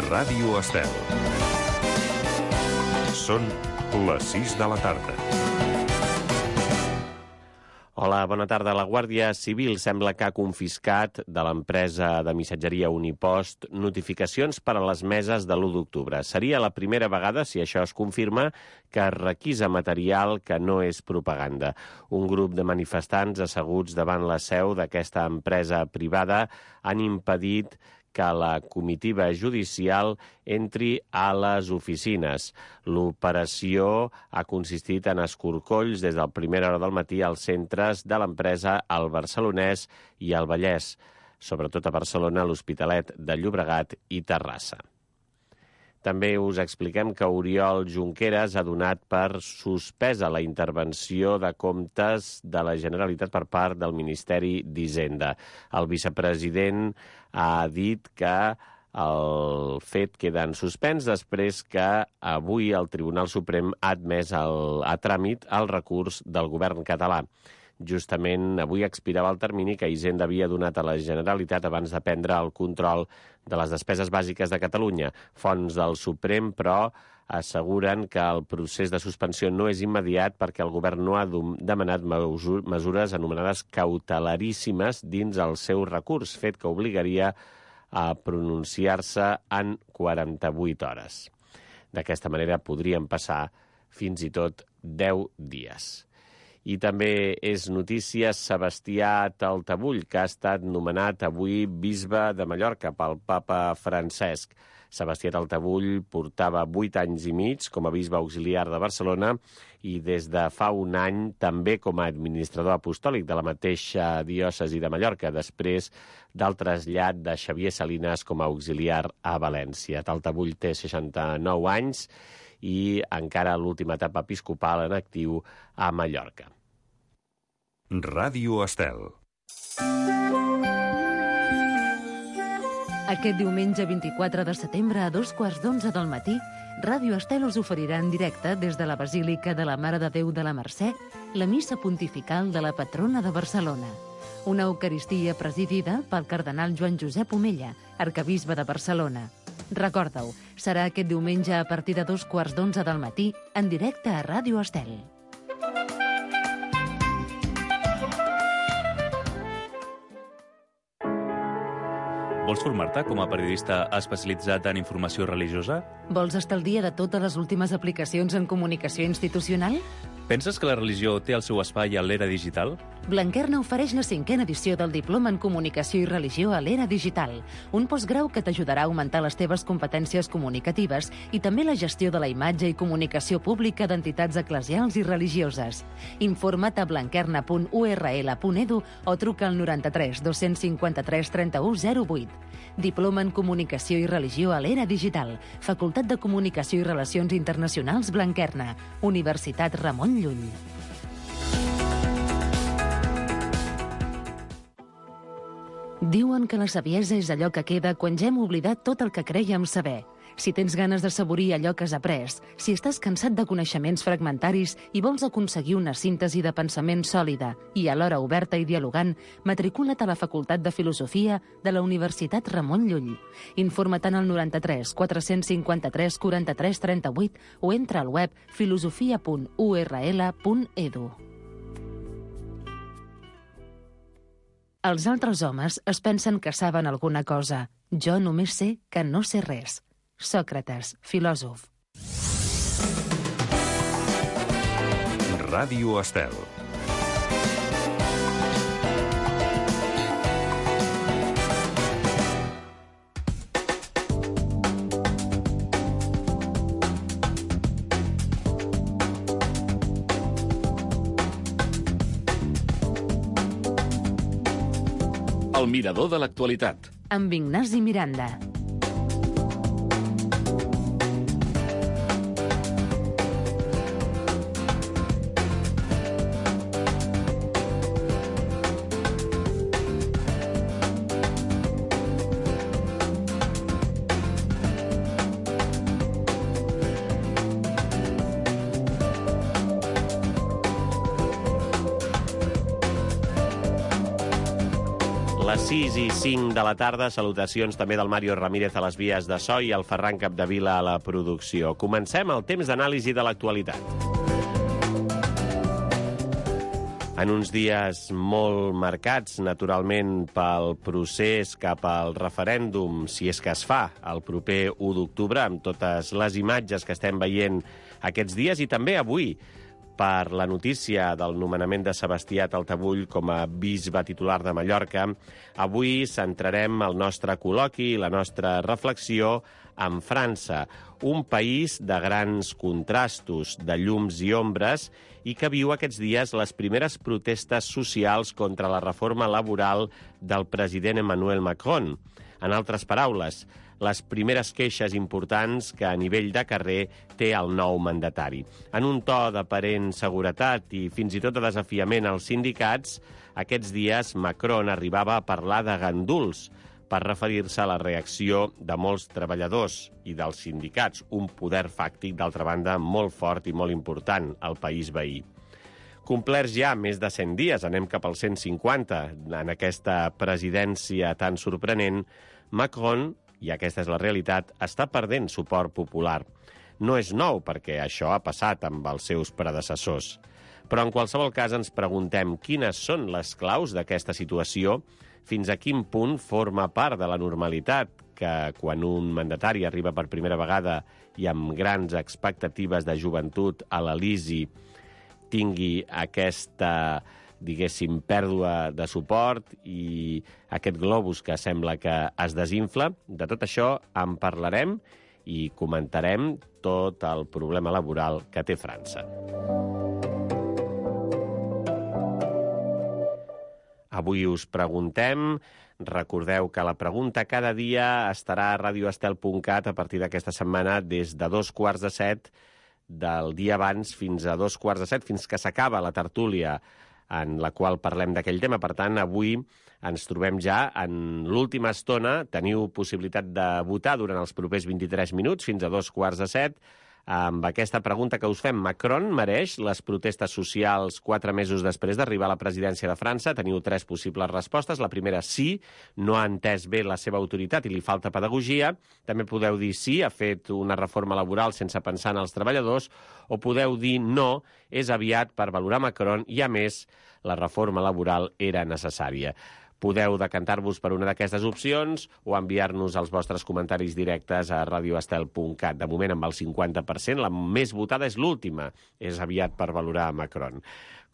Ràdio Estel. Són les 6 de la tarda. Hola, bona tarda. La Guàrdia Civil sembla que ha confiscat de l'empresa de missatgeria Unipost notificacions per a les meses de l'1 d'octubre. Seria la primera vegada, si això es confirma, que es requisa material que no és propaganda. Un grup de manifestants asseguts davant la seu d'aquesta empresa privada han impedit que la comitiva judicial entri a les oficines. L'operació ha consistit en escorcolls des de la primera hora del matí als centres de l'empresa al Barcelonès i al Vallès, sobretot a Barcelona, l'Hospitalet de Llobregat i Terrassa. També us expliquem que Oriol Junqueras ha donat per suspesa la intervenció de comptes de la Generalitat per part del Ministeri d'Hisenda. El vicepresident ha dit que el fet queda en suspens després que avui el Tribunal Suprem ha admès a tràmit el recurs del govern català. Justament avui expirava el termini que Hisenda havia donat a la Generalitat abans de prendre el control de les despeses bàsiques de Catalunya. Fonts del Suprem, però, asseguren que el procés de suspensió no és immediat perquè el govern no ha demanat mesures anomenades cautelaríssimes dins el seu recurs, fet que obligaria a pronunciar-se en 48 hores. D'aquesta manera podrien passar fins i tot 10 dies. I també és notícia Sebastià Taltabull, que ha estat nomenat avui bisbe de Mallorca pel papa Francesc. Sebastià Taltabull portava 8 anys i mig com a bisbe auxiliar de Barcelona i des de fa un any també com a administrador apostòlic de la mateixa diòcesi de Mallorca, després del trasllat de Xavier Salinas com a auxiliar a València. Taltabull té 69 anys i encara l'última etapa episcopal en actiu a Mallorca. Ràdio Estel. Aquest diumenge 24 de setembre a 2:15 del matí, Ràdio Estel us oferirà en directe des de la Basílica de la Mare de Déu de la Mercè la missa pontifical de la patrona de Barcelona. Una eucaristia presidida pel cardenal Joan Josep Omella, arquebisbe de Barcelona. Recorda-ho, serà aquest diumenge a partir de 2:15 del matí en directe a Ràdio Estel. Vols formar-te com a periodista especialitzat en informació religiosa? Vols estar al dia de totes les últimes aplicacions en comunicació institucional? Penses que la religió té el seu espai a l'era digital? Blanquerna ofereix la 5a edició del Diploma en Comunicació i Religió a l'era digital, un postgrau que t'ajudarà a augmentar les teves competències comunicatives i també la gestió de la imatge i comunicació pública d'entitats eclesials i religioses. Informa't a blanquerna.url.edu o truca al 93 253 31 08. Diploma en Comunicació i Religió a l'era digital, Facultat de Comunicació i Relacions Internacionals Blanquerna, Universitat Ramon Llull. Diuen que la saviesa és allò que queda quan ja hem oblidat tot el que crèiem saber. Si tens ganes de saborir allò que has après, si estàs cansat de coneixements fragmentaris i vols aconseguir una síntesi de pensament sòlida i alhora oberta i dialogant, matricula't a la Facultat de Filosofia de la Universitat Ramon Llull. Informa't al 93 453 43 38 o entra al web filosofia.url.edu. Els altres homes es pensen que saben alguna cosa. Jo només sé que no sé res. Sòcrates, filòsof. Ràdio Estel. El mirador de l'actualitat. Amb Ignasi Miranda. Les 6 i 5 de la tarda, salutacions també del Mario Ramírez a les vies de so i el Ferran Capdevila a la producció. Comencem el temps d'anàlisi de l'actualitat. En uns dies molt marcats, naturalment, pel procés cap al referèndum, si és que es fa el proper 1 d'octubre, amb totes les imatges que estem veient aquests dies, i també avui, per la notícia del nomenament de Sebastià Taltabull com a bisbe titular de Mallorca, avui centrarem el nostre col·loqui i la nostra reflexió en França, un país de grans contrastos, de llums i ombres, i que viu aquests dies les primeres protestes socials contra la reforma laboral del president Emmanuel Macron. En altres paraules, les primeres queixes importants que a nivell de carrer té el nou mandatari. En un to d'aparent seguretat i fins i tot de desafiament als sindicats, aquests dies Macron arribava a parlar de ganduls per referir-se a la reacció de molts treballadors i dels sindicats, un poder fàctic, d'altra banda, molt fort i molt important al país veí. Complerts ja més de 100 dies, anem cap als 150, en aquesta presidència tan sorprenent, Macron, i aquesta és la realitat, està perdent suport popular. No és nou, perquè això ha passat amb els seus predecessors. Però en qualsevol cas ens preguntem quines són les claus d'aquesta situació, fins a quin punt forma part de la normalitat que quan un mandatari arriba per primera vegada i amb grans expectatives de joventut a l'Elisi tingui aquesta, diguéssim, pèrdua de suport i aquest globus que sembla que es desinfla. De tot això en parlarem i comentarem tot el problema laboral que té França. Avui us preguntem, recordeu que la pregunta cada dia estarà a radioestel.cat a partir d'aquesta setmana des de 2:45 del dia abans fins a 2:45, fins que s'acaba la tertúlia en la qual parlem d'aquell tema. Per tant, avui ens trobem ja en l'última estona. Teniu possibilitat de votar durant els propers 23 minuts, fins a 2:45, amb aquesta pregunta que us fem. Macron mereix les protestes socials 4 mesos després d'arribar a la presidència de França? Teniu 3 possibles respostes. La primera, sí, no ha entès bé la seva autoritat i li falta pedagogia. També podeu dir sí, ha fet una reforma laboral sense pensar en els treballadors, o podeu dir no, és aviat per valorar Macron i, a més, la reforma laboral era necessària. Podeu decantar-vos per una d'aquestes opcions o enviar-nos els vostres comentaris directes a radioestel.cat. De moment, amb el 50%, la més votada és l'última. És aviat per valorar Macron.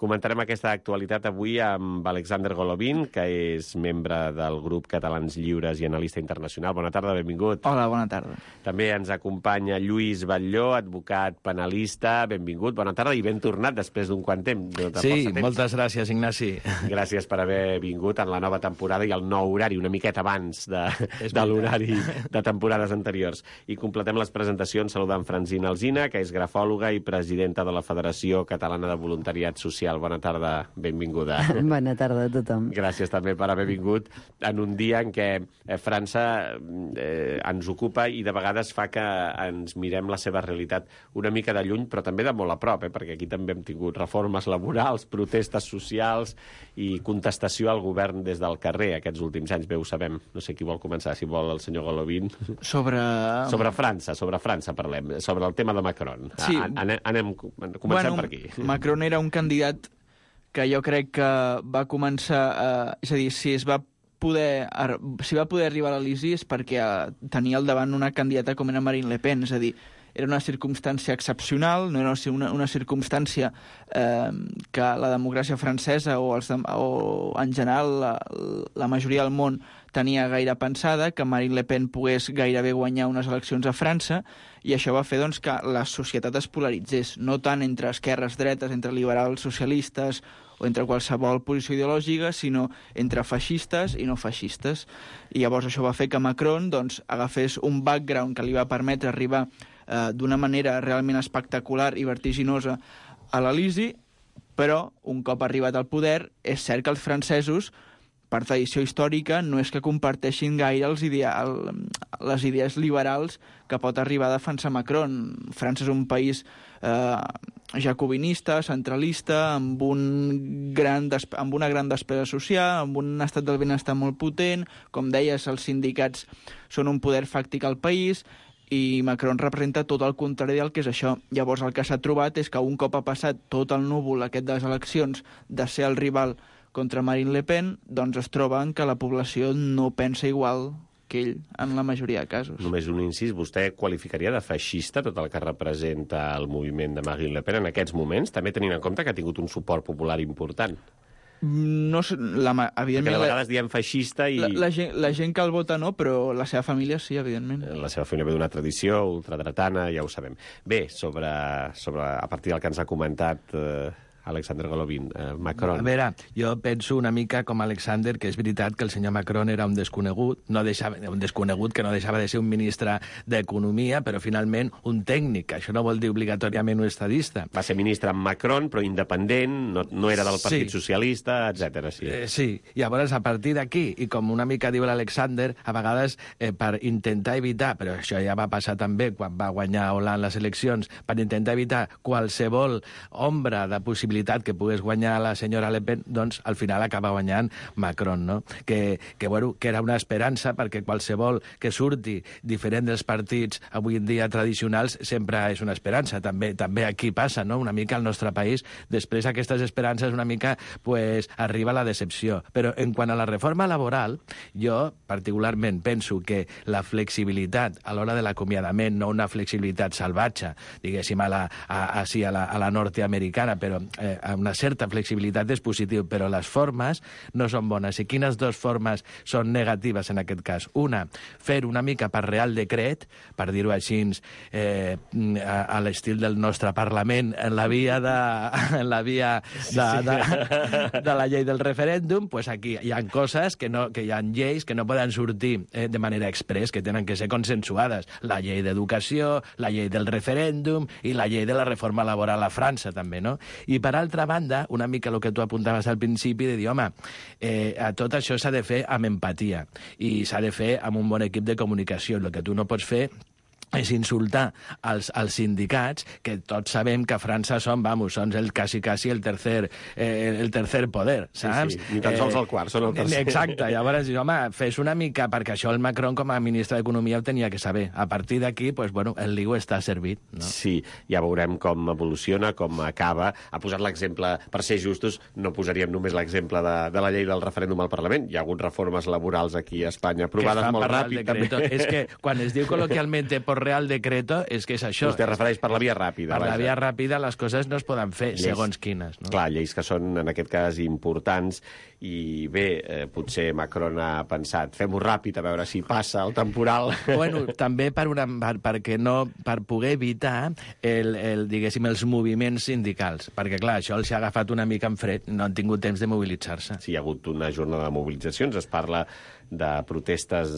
Comentarem aquesta actualitat avui amb Alexander Golovin, que és membre del grup Catalans Lliures i analista internacional. Bona tarda, benvingut. Hola, bona tarda. També ens acompanya Lluís Batlló, advocat penalista. Benvingut, bona tarda i ben tornat després d'un quant temps. Sí, moltes gràcies, Ignasi. Gràcies per haver vingut en la nova temporada i el nou horari, una miqueta abans de l'horari de temporades anteriors. I completem les presentacions saludant Francina Alsina, que és grafòloga i presidenta de la Federació Catalana de Voluntariat Social. Bona tarda, benvinguda. Bona tarda a tothom. Gràcies també per haver vingut en un dia en què França ens ocupa i de vegades fa que ens mirem la seva realitat una mica de lluny, però també de molt a prop, perquè aquí també hem tingut reformes laborals, protestes socials i contestació al govern des del carrer aquests últims anys. Bé, ho sabem. No sé qui vol començar, si vol el senyor Golovin. Sobre França parlem, sobre el tema de Macron. Sí. Comencem per aquí. Macron era un candidat que jo crec que va començar... és a dir, si va poder arribar a l'Elisi és perquè tenia al davant una candidata com era Marine Le Pen, és a dir, era una circumstància excepcional, no era una circumstància que la democràcia francesa o en general la majoria del món tenia gaire pensada, que Marine Le Pen pogués gairebé guanyar unes eleccions a França, i això va fer doncs, que la societat es polaritzés, no tant entre esquerres, dretes, entre liberals, socialistes o entre qualsevol posició ideològica, sinó entre feixistes i no feixistes. I llavors això va fer que Macron doncs, agafés un background que li va permetre arribar d'una manera realment espectacular i vertiginosa a l'Elisi, però un cop arribat al poder és cert que els francesos per tradició històrica, no és que comparteixin gaire les idees liberals que pot arribar a defensar Macron. França és un país jacobinista, centralista, amb una gran despesa social, amb un estat del benestar molt potent. Com deies, els sindicats són un poder fàctic al país, i Macron representa tot el contrari del que és això. Llavors el que s'ha trobat és que un cop ha passat tot el núvol aquest de les eleccions de ser el rival contra Marine Le Pen, doncs es troben que la població no pensa igual que ell en la majoria de casos. Només un incís, vostè qualificaria de feixista tot el que representa el moviment de Marine Le Pen en aquests moments, també tenint en compte que ha tingut un suport popular important? No, evidentment... Perquè de vegades diem feixista i... La gent que el vota no, però la seva família sí, evidentment. La seva família ve d'una tradició ultradretana, ja ho sabem. Bé, a partir del que ens ha comentat Alexander Golovin, Macron. A veure, jo penso una mica com Alexander, que és veritat que el senyor Macron era un desconegut, que no deixava de ser un ministre d'Economia, però finalment un tècnic. Això no vol dir obligatòriament un estadista. Va ser ministre amb Macron, però independent, no era del Partit Socialista, etc. Sí, llavors a partir d'aquí, i com una mica diu l'Alexander, a vegades per intentar evitar, però això ja va passar també quan va guanyar Hollande les eleccions, per intentar evitar qualsevol ombra de possibilitat que pogués guanyar la senyora Le Pen, doncs al final acaba guanyant Macron, no? Que era una esperança, perquè qualsevol que surti diferent dels partits avui en dia tradicionals sempre és una esperança. També aquí passa, no? Una mica al nostre país, després aquestes esperances una mica arriba la decepció. Però en quant a la reforma laboral, jo particularment penso que la flexibilitat a l'hora de l'acomiadament, no una flexibilitat salvatge, diguéssim, a la nord-americana, però una certa flexibilitat és positiu, però les formes no són bones. I quines dues formes són negatives en aquest cas? Una, fer una mica per Real Decret, per dir-ho així, a l'estil del nostre Parlament, en la via de la llei del referèndum, doncs aquí hi ha coses que hi ha lleis que no poden sortir de manera express, que tenen que ser consensuades. La llei d'educació, la llei del referèndum i la llei de la reforma laboral a França, també, no? I per altra banda, una mica el que tu apuntaves al principi, de dir, home, tot això s'ha de fer amb empatia i s'ha de fer amb un bon equip de comunicació. El que tu no pots fer és insultar als sindicats, que tots sabem que a França són quasi el tercer poder, saps? Sí, ni tan sols el quart, són el tercer. Exacte, llavors, home, fes una mica, perquè això el Macron com a ministre d'Economia ho tenia que saber. A partir d'aquí, el ligo està servit, no? Sí, ja veurem com evoluciona, com acaba. Ha posat l'exemple, per ser justos, no posaríem només l'exemple de la llei del referèndum al Parlament. Hi ha hagut reformes laborals aquí a Espanya aprovades molt ràpid, també. És que quan es diu col·loquialment por Real Decreto, és que és això. Vostè refereix per la via ràpida. Per la via ràpida les coses no es poden fer, segons quines. No? Clar, lleis que són, en aquest cas, importants, i bé, potser Macron ha pensat, fem-ho ràpid, a veure si passa el temporal. Bueno, també per poder evitar diguéssim, els moviments sindicals, perquè, clar, això els ha agafat una mica en fred, no han tingut temps de mobilitzar-se. Sí, hi ha hagut una jornada de mobilitzacions, es parla de protestes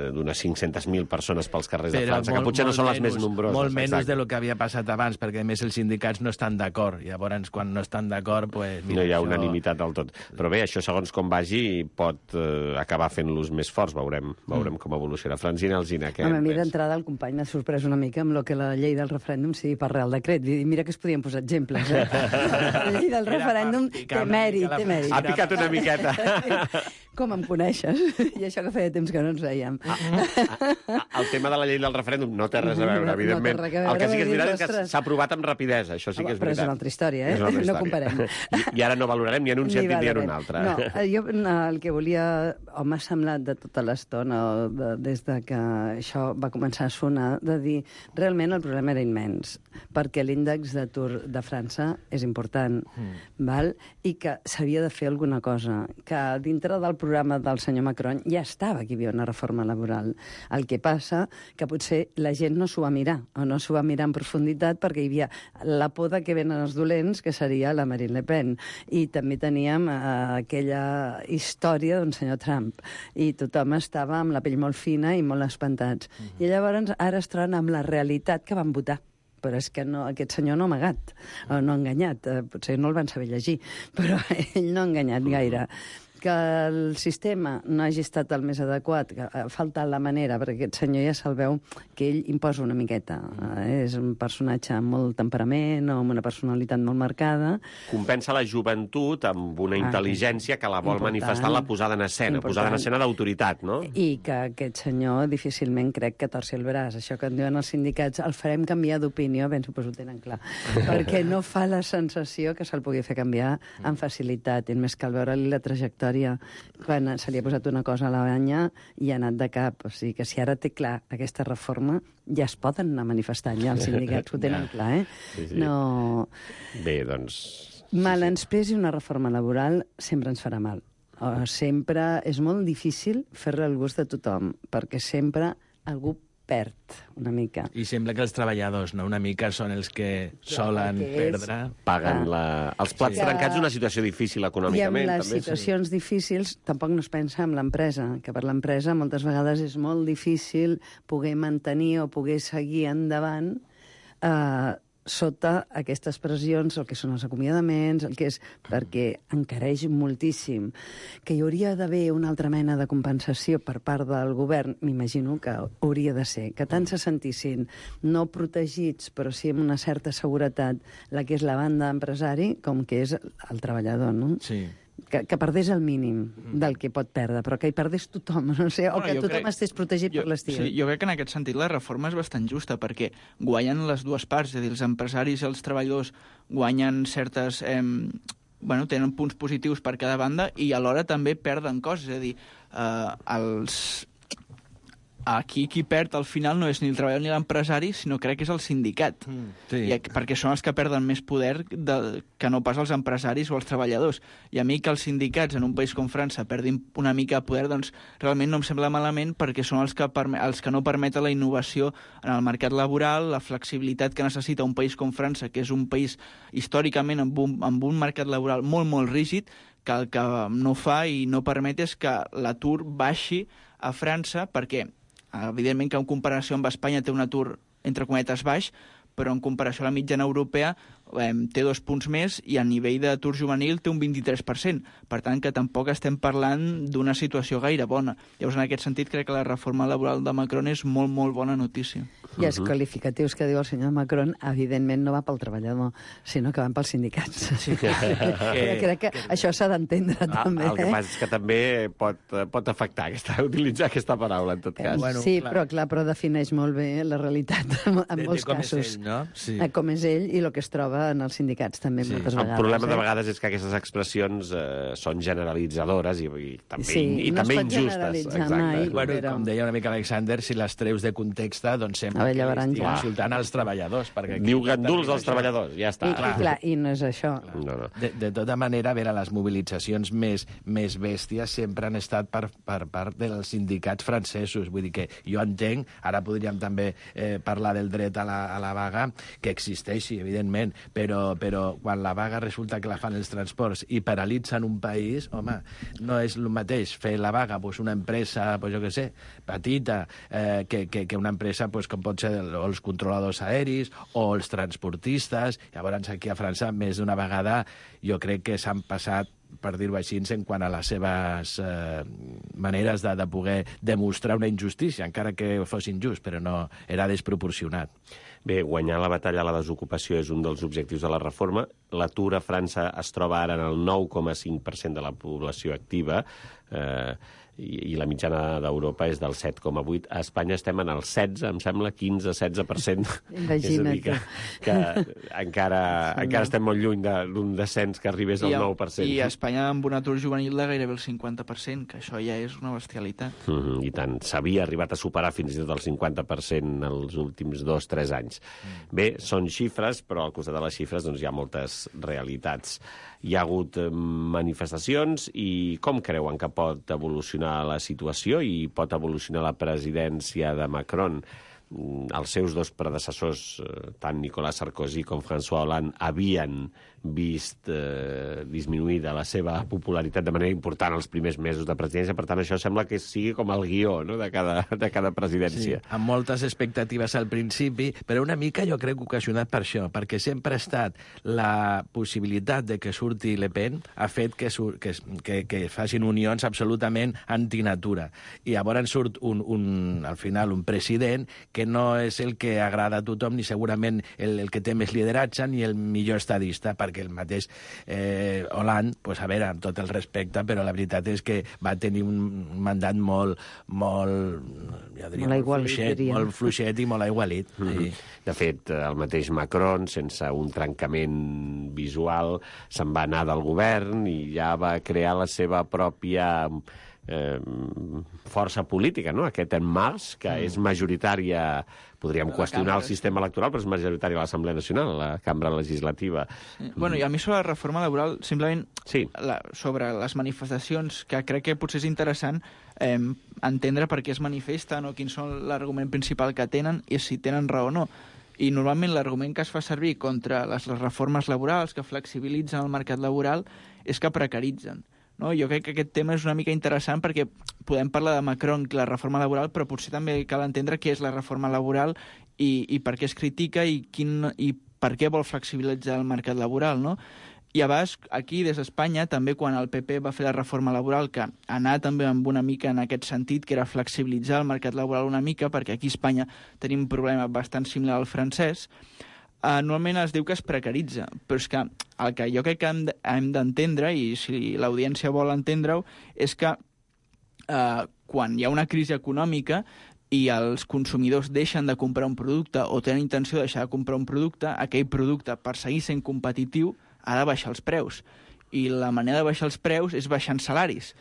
d'unes 500.000 persones pels carrers de França, que potser no són les més nombroses. Molt menys del que havia passat abans, perquè a més els sindicats no estan d'acord. Llavors, quan no estan d'acord... No hi ha unanimitat del tot. Però bé, això, segons com vagi, pot acabar fent-los més forts. Veurem com evoluciona. Francina Alsina, què a mi d'entrada el company m'ha sorprès una mica amb el que la llei del referèndum sigui per Real Decret. Mira que es podien posar exemples. La llei del referèndum té mèrit. Ha picat una miqueta. Com em coneixes? I això que feia temps que no ens veiem. El tema de la llei del referèndum no té res a veure, evidentment. El que sí que és veritat és que s'ha aprovat amb rapidesa, això sí que és veritat. Però és una altra història, No comparem. I ara no valorarem ni en un sentit ni en un altre. No, jo el que volia... M'ha semblat de tota l'estona, des de que això va començar a sonar, de dir, realment el problema era immens, perquè l'índex d'atur de França és important, val? I que s'havia de fer alguna cosa, que dintre del programa del senyor Macron ja estava que hi havia una reforma laboral. El que passa que potser la gent no s'ho va mirar, o no s'ho va mirar en profunditat, perquè hi havia la por de que venen els dolents, que seria la Marine Le Pen. I també teníem aquella història d'un senyor Trump. I tothom estava amb la pell molt fina i molt espantats. I llavors ara es troben amb la realitat que van votar. Però és que no, aquest senyor no ha amagat, o no ha enganyat. Potser no el van saber llegir, però ell no ha enganyat gaire. Que el sistema no hagi estat el més adequat, que ha faltat la manera, perquè aquest senyor ja se'l veu que ell imposa una miqueta. És un personatge amb molt temperament o amb una personalitat molt marcada. Compensa la joventut amb una intel·ligència que la vol important, manifestar en la posada en escena, posada en escena d'autoritat, no? I que aquest senyor difícilment crec que torci el braç. Això que en diuen els sindicats, el farem canviar d'opinió, ben suposo ho tenen clar, perquè no fa la sensació que se'l pugui fer canviar amb facilitat. I més cal veure-li la trajectòria quan se li ha posat una cosa a la banya i ha anat de cap. O sigui que si ara té clar aquesta reforma, ja es poden anar manifestant, ja els sindicats ho tenen clar, eh? Sí. No... Bé, doncs... Mal ens pesi una reforma laboral sempre ens farà mal. Sempre és molt difícil fer-la al gust de tothom, perquè sempre algú perd una mica. I sembla que els treballadors, no, una mica són els que solen perdre. Paguen els plats trencats d'una situació difícil econòmicament. I amb les també, situacions difícils tampoc no es pensa en l'empresa, que per l'empresa moltes vegades és molt difícil poder mantenir o poder seguir endavant sota aquestes pressions, el que són els acomiadaments, el que és perquè encareix moltíssim. Que hi hauria d'haver una altra mena de compensació per part del govern, m'imagino que hauria de ser, que tant se sentissin no protegits, però sí amb una certa seguretat, la que és la banda empresari, com que és el treballador, no? Sí. Que perdés el mínim del que pot perdre, però que hi perdés tothom, no sé, o que tothom estés protegit per l'estil. Sí, jo crec que en aquest sentit la reforma és bastant justa, perquè guanyen les dues parts, és a dir, els empresaris i els treballadors guanyen certes... tenen punts positius per cada banda i alhora també perden coses, és a dir, aquí qui perd al final no és ni el treballador ni l'empresari, sinó crec que és el sindicat. Sí. Perquè són els que perden més poder que no pas els empresaris o els treballadors. I a mi que els sindicats en un país com França perdin una mica de poder, doncs realment no em sembla malament, perquè són els que no permeten la innovació en el mercat laboral, la flexibilitat que necessita un país com França, que és un país històricament amb un mercat laboral molt, molt rígid, que el que no fa i no permet és que l'atur baixi a França, perquè evidentment que en comparació amb Espanya té un atur, entre cometes, baix, però en comparació a la mitjana europea té 2 punts més i a nivell d'atur juvenil té un 23%. Per tant, que tampoc estem parlant d'una situació gaire bona. Llavors, en aquest sentit, crec que la reforma laboral de Macron és molt, molt bona notícia. I els qualificatius que diu el senyor Macron, evidentment no va pel treballador, sinó que van pels sindicats. Sí. Crec que això s'ha d'entendre, també. El que passa és que també pot afectar utilitzar aquesta paraula, en tot cas. Sí, però defineix molt bé la realitat en molts casos. No? Sí. Com és ell i el que es troba en els sindicats també moltes vegades. El problema de vegades és que aquestes expressions són generalitzadores i també injustes. Mai, com deia una mica Alexander, si les treus de context, doncs sempre estic insultant els treballadors. Diu ganduls als treballadors, ja està. I no és això. No. De tota manera, a veure, les mobilitzacions més bèsties sempre han estat per part dels sindicats francesos. Vull dir que jo entenc, ara podríem també parlar del dret a la vaga, que existeixi, evidentment, però quan la vaga resulta que la fan els transports i paralitzen un país, home, no és el mateix fer la vaga una empresa, jo què sé, petita, que una empresa com pot ser els controladors aeris o els transportistes. Llavors, aquí a França, més d'una vegada, jo crec que s'han passat, per dir-ho així, en quant a les seves maneres de poder demostrar una injustícia, encara que fos injust, però no era desproporcionat. Bé, guanyar la batalla a la desocupació és un dels objectius de la reforma. L'atur a França es troba ara en el 9,5% de la població activa, i la mitjana d'Europa és del 7,8%. A Espanya estem en el 16, em sembla, 15-16%. Imagina't. És a dir, que encara estem molt lluny d'un descens que arribés al 9%. I a Espanya amb un atur juvenil de gairebé el 50%, que això ja és una bestialitat. I tant. S'havia arribat a superar fins i tot el 50% els últims 2-3 anys. Bé, són xifres, però al costat de les xifres hi ha moltes realitats. Hi ha hagut manifestacions i com creuen que pot evolucionar la situació i pot evolucionar la presidència de Macron? els seus dos predecessors, tant Nicolas Sarkozy com François Hollande, havien vist disminuïda la seva popularitat de manera important els primers mesos de presidència. Per tant, això sembla que sigui com el guió, no?, de cada presidència. Sí, amb moltes expectatives al principi, però una mica jo crec ocasionat per això, perquè sempre ha estat la possibilitat de que surti Le Pen ha fet que facin unions absolutament antinatura. I llavors surt al final un president que no és el que agrada a tothom, ni segurament el que té més lideratge, ni el millor estadista, perquè el mateix Hollande, pues, a veure, amb tot el respecte, però la veritat és que va tenir un mandat molt fluixet i molt aigualit. Sí. De fet, el mateix Macron, sense un trencament visual, se'n va anar del govern i ja va crear la seva pròpia força política, no? Aquest En Marche, que és majoritària, podríem qüestionar el sistema electoral, però és majoritària a l'Assemblea Nacional, a la cambra legislativa. Sí. Bueno, i a mi sobre la reforma laboral, simplement sí. Sobre les manifestacions, que crec que potser és interessant entendre per què es manifesten o quin són l'argument principal que tenen i si tenen raó o no. I normalment l'argument que es fa servir contra les reformes laborals que flexibilitzen el mercat laboral és que precaritzen. No? Jo crec que aquest tema és una mica interessant perquè podem parlar de Macron i la reforma laboral, però potser també cal entendre què és la reforma laboral i per què es critica i per què vol flexibilitzar el mercat laboral, no? I a vegades, aquí, des d'Espanya, també quan el PP va fer la reforma laboral, que anà també amb una mica en aquest sentit, que era flexibilitzar el mercat laboral una mica, perquè aquí a Espanya tenim un problema bastant similar al francès, normalment es diu que es precaritza, però és que el que jo crec que hem d'entendre, i si l'audiència vol entendre-ho, és que quan hi ha una crisi econòmica i els consumidors deixen de comprar un producte o tenen intenció de deixar de comprar un producte, aquell producte, per seguir sent competitiu, ha de baixar els preus. I la manera de baixar els preus és baixant salaris.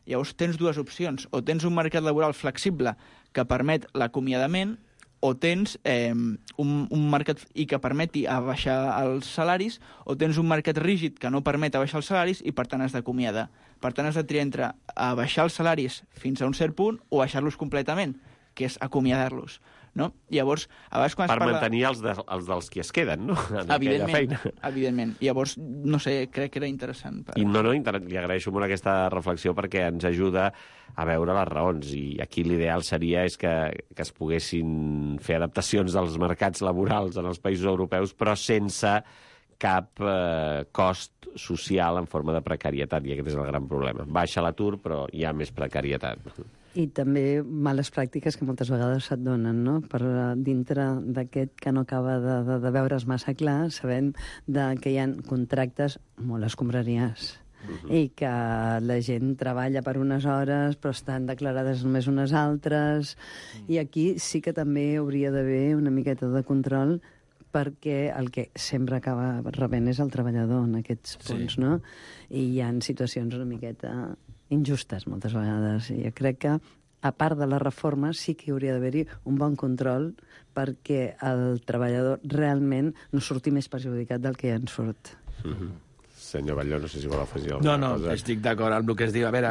Llavors tens dues opcions. O tens un mercat laboral flexible que permet l'acomiadament, o tens un mercat i que permeti baixar els salaris, o tens un mercat rígid que no permet baixar els salaris i, per tant, has d'acomiadar. Per tant, has de triar entre baixar els salaris fins a un cert punt o baixar-los completament, que és acomiadar-los. No? Llavors, a vegades quan es parla... mantenir els dels que es queden, no? En aquella feina. Evidentment. Llavors, no sé, crec que era interessant. I li agraeixo molt aquesta reflexió perquè ens ajuda a veure les raons. I aquí l'ideal seria que es poguessin fer adaptacions dels mercats laborals en els països europeus, però sense cap cost social en forma de precarietat, i aquest és el gran problema. Baixa l'atur, però hi ha més precarietat. I també males pràctiques que moltes vegades se't donen, no? Per dintre d'aquest que no acaba de veure's massa clar, sabem que hi ha contractes molt escombraries i que la gent treballa per unes hores però estan declarades només unes altres, i aquí sí que també hauria d'haver una miqueta de control, perquè el que sempre acaba rebent és el treballador en aquests punts, no? I hi ha situacions una miqueta injustes moltes vegades, i jo crec que a part de la reforma sí que hi hauria d'haver-hi un bon control perquè el treballador realment no surti més perjudicat del que ja en surt. Senyor Batlló, no sé si vol afegir alguna cosa. No, estic d'acord amb el que es diu. A veure,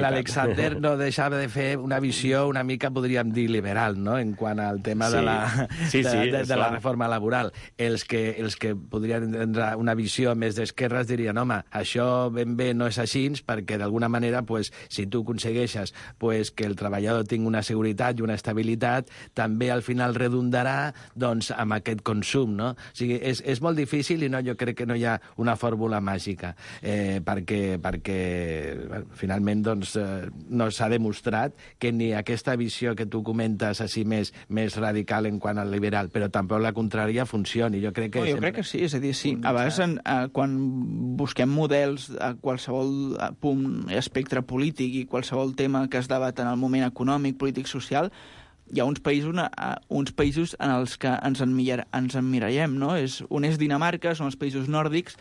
l'Alexander no deixava de fer una visió una mica, podríem dir, liberal, no?, en quant al tema de la reforma laboral. Els que podrien tindre una visió més d'esquerres dirien, home, això ben bé no és així, perquè d'alguna manera, pues, si tu aconsegueixes que el treballador tingui una seguretat i una estabilitat, també al final redundarà doncs, amb aquest consum, no? O sigui, és molt difícil i jo crec que no hi ha una fórmula màgica, perquè bueno, finalment doncs, no s'ha demostrat que ni aquesta visió que tu comentes així més radical en quant al liberal, però tampoc la contrària funcioni. Jo crec que crec que sí, és a dir, sí. A vegades quan busquem models a qualsevol punt espectre polític i qualsevol tema que es debat en el moment econòmic, polític, social, hi ha uns països en els que ens emmirallem, no? Un és Dinamarca, són els països nòrdics,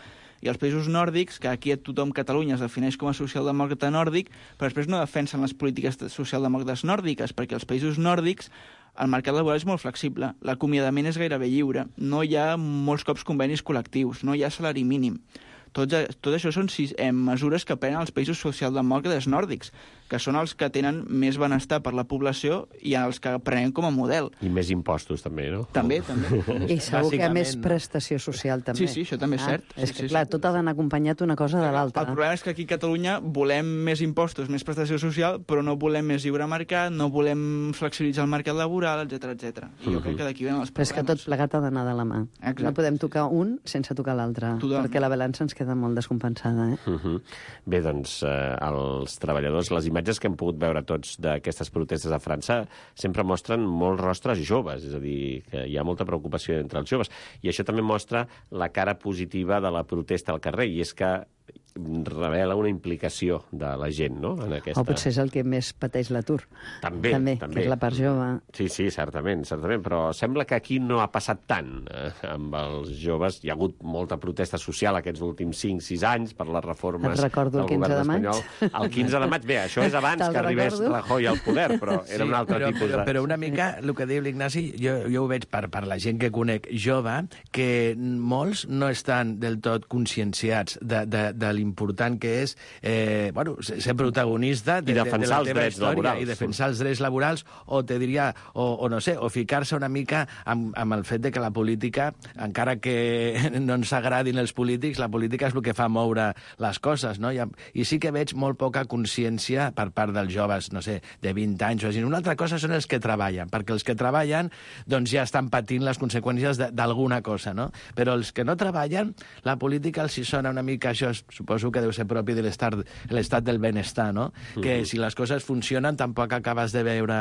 i els països nòrdics, que aquí tothom Catalunya es defineix com a socialdemòcrata nòrdic, però després no defensen les polítiques socialdemòcrates nòrdiques, perquè els països nòrdics el mercat laboral és molt flexible, l'acomiadament és gairebé lliure, no hi ha molts cops convenis col·lectius, no hi ha salari mínim. tot això són mesures que prenen els països socialdemòcrates nòrdics, que són els que tenen més benestar per la població i els que prenem com a model. I més impostos, també, no? També. I segur que més prestació social, també. Sí, això també és cert. És que, clar, tot ha d'anar acompanyat una cosa de l'altra. El problema és que aquí a Catalunya volem més impostos, més prestació social, però no volem més lliure mercat, no volem flexibilitzar el mercat laboral, etc. I jo crec que d'aquí venen els problemes. Però és que tot plegat ha d'anar de la mà. Exacte. No podem tocar un sense tocar l'altre, perquè la balança ens queda molt descompensada. Bé, doncs, els treballadors, les imatges que hem pogut veure tots d'aquestes protestes a França sempre mostren molts rostres joves, és a dir, que hi ha molta preocupació entre els joves. I això també mostra la cara positiva de la protesta al carrer, i és que revela una implicació de la gent, no?, en aquesta... O potser és el que més pateix l'atur. També. Que és la part jove. Sí, certament, però sembla que aquí no ha passat tant amb els joves. Hi ha hagut molta protesta social aquests últims 5-6 anys per les reformes del govern espanyol. El 15 de maig, bé, això és abans que arribés Rajoy al poder, però era un altre tipus de... Però una mica, el que diu l'Ignasi, jo ho veig per la gent que conec jove, que molts no estan del tot conscienciats de l'important que és ser protagonista de la teva història i defensar els drets laborals, o te diria, o no sé, o ficar-se una mica amb el fet de que la política, encara que no ens agradin els polítics, la política és el que fa moure les coses, no? I sí que veig molt poca consciència per part dels joves, no sé, de 20 anys o així. Una altra cosa són els que treballen, perquè els que treballen doncs ja estan patint les conseqüències d'alguna cosa, no? Però els que no treballen, la política els hi sona una mica, això suposo que deu ser propi de l'estat del benestar, no? Que si les coses funcionen tampoc acabes de veure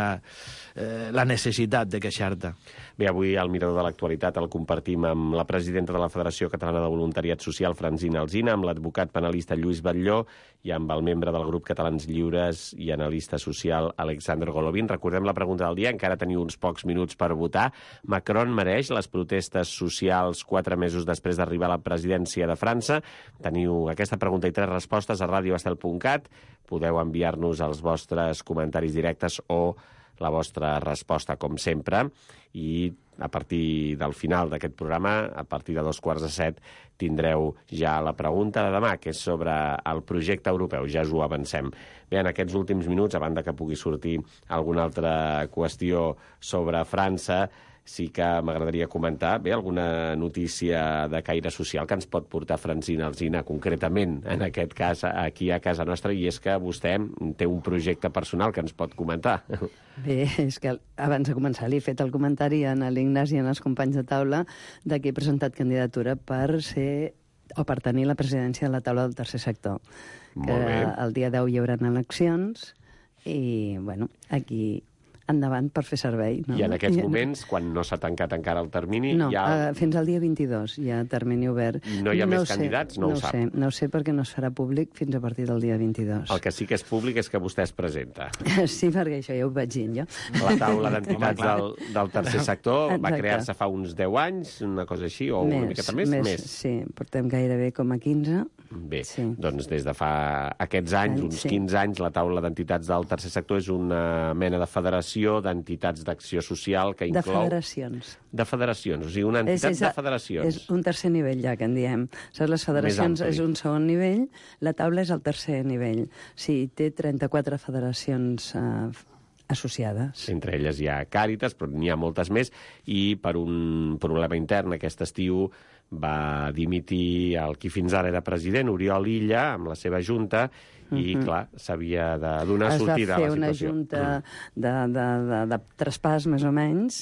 la necessitat de queixar-te. Bé, avui el Mirador de l'Actualitat el compartim amb la presidenta de la Federació Catalana de Voluntariat Social, Francina Alsina, amb l'advocat penalista Lluís Batlló i amb el membre del grup Catalans Lliures i analista social Alexander Golovin. Recordem la pregunta del dia, encara teniu uns pocs minuts per votar. Macron mereix les protestes socials 4 mesos després d'arribar a la presidència de França? Teniu aquesta pregunta i 3 respostes a radioestel.cat. Podeu enviar-nos els vostres comentaris directes o la vostra resposta, com sempre, i a partir del final d'aquest programa, a partir de 7:15, tindreu ja la pregunta de demà, que és sobre el projecte europeu. Ja us ho avancem. Bé, en aquests últims minuts, a banda que pugui sortir alguna altra qüestió sobre França, sí que m'agradaria comentar alguna notícia de caire social que ens pot portar Francina Alsina, concretament, en aquest cas, aquí a casa nostra, i és que vostè té un projecte personal que ens pot comentar. Bé, és que abans de començar li he fet el comentari a l'Ignasi i als companys de taula de que he presentat candidatura per tenir la presidència de la taula del tercer sector. Molt bé. El dia 10 hi haurà eleccions i, bueno, aquí... endavant per fer servei. No? I en aquests moments, quan no s'ha tancat encara el termini... No, fins al dia 22 hi ha termini obert. No hi ha més candidats? No ho sap. No ho sé perquè no es farà públic fins a partir del dia 22. El que sí que és públic és que vostè es presenta. Sí, perquè això ja ho vaig dir jo. La taula d'entitats del tercer sector va crear-se fa uns 10 anys, una cosa així, o una miqueta més? Més. Sí, portem gairebé com a 15. Bé, doncs des de fa aquests anys, uns 15 anys, la taula d'entitats del tercer sector és una mena de federació d'entitats d'acció social que inclou... De federacions. De federacions, o sigui, una entitat de federacions. És un tercer nivell, ja, que en diem. Saps, les federacions és un segon nivell, la taula és el tercer nivell. Sí, té 34 federacions associades. Entre elles hi ha Càritas, però n'hi ha moltes més, i per un problema intern aquest estiu va dimitir el qui fins ara era president, Oriol Illa, amb la seva junta, i, clar, s'havia de donar sortida a la situació. Es va fer una junta de traspàs, més o menys,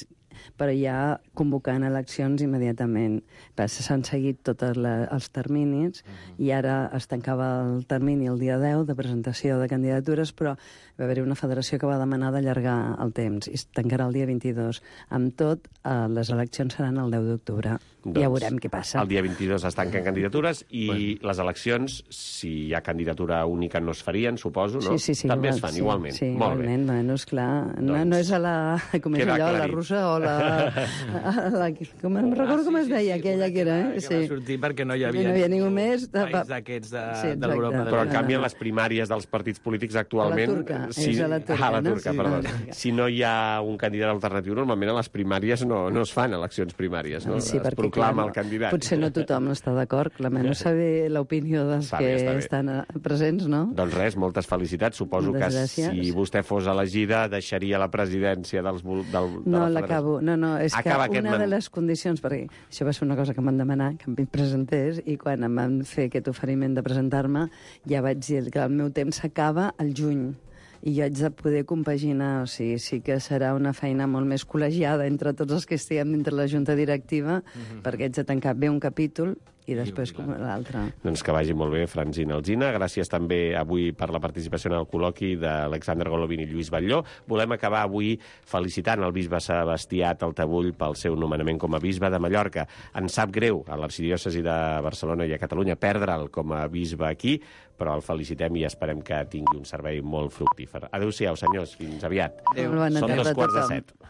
però ja convocant eleccions immediatament. S'han seguit tots els terminis i ara es tancava el termini el dia 10 de presentació de candidatures, però va haver-hi una federació que va demanar d'allargar el temps i es tancarà el dia 22. Amb tot, les eleccions seran el 10 d'octubre. Doncs, ja veurem què passa. El dia 22 es tanquen candidatures i les eleccions, si hi ha candidatura única, no es farien, suposo, no? Sí, també es fan, igualment. Sí, molt igualment. Bé. Bueno, esclar, no és a la, com és allò, la russa o com no recordo com es deia, aquella que era, que va sortir perquè no hi havia ningú més país d'aquests de l'Europa. Però, en canvi, en les primàries dels partits polítics actualment... És a la turca, la no? turca, perdó. Si no hi ha un candidat alternatiu, normalment a les primàries no es fan eleccions primàries, no? Sí, es proclama el candidat. Potser no tothom està d'acord, no saber l'opinió dels que estan presents, no? Doncs res, moltes felicitats. Suposo que si vostè fos elegida deixaria la presidència de la Federació. No, l'acabo. No, és que una de les condicions, perquè això va ser una cosa que em van demanar, que em presentés, i quan em van fer aquest oferiment de presentar-me, ja vaig dir que el meu temps s'acaba al juny i jo haig de poder compaginar, o sigui, sí que serà una feina molt més col·legiada entre tots els que estiguem dintre la junta directiva, perquè haig de tancar bé un capítol i després com l'altre. Doncs que vagi molt bé, Francina Alsina. Gràcies també avui per la participació en el col·loqui d'Alexander Golovin i Lluís Batlló. Volem acabar avui felicitant el bisbe Sebastià Taltabull pel seu nomenament com a bisbe de Mallorca. Ens sap greu a l'arxidiòcesi de Barcelona i a Catalunya perdre'l com a bisbe aquí, però el felicitem i esperem que tingui un servei molt fructífer. Adéu-siau, senyors. Fins aviat. Adéu. Són 2:15.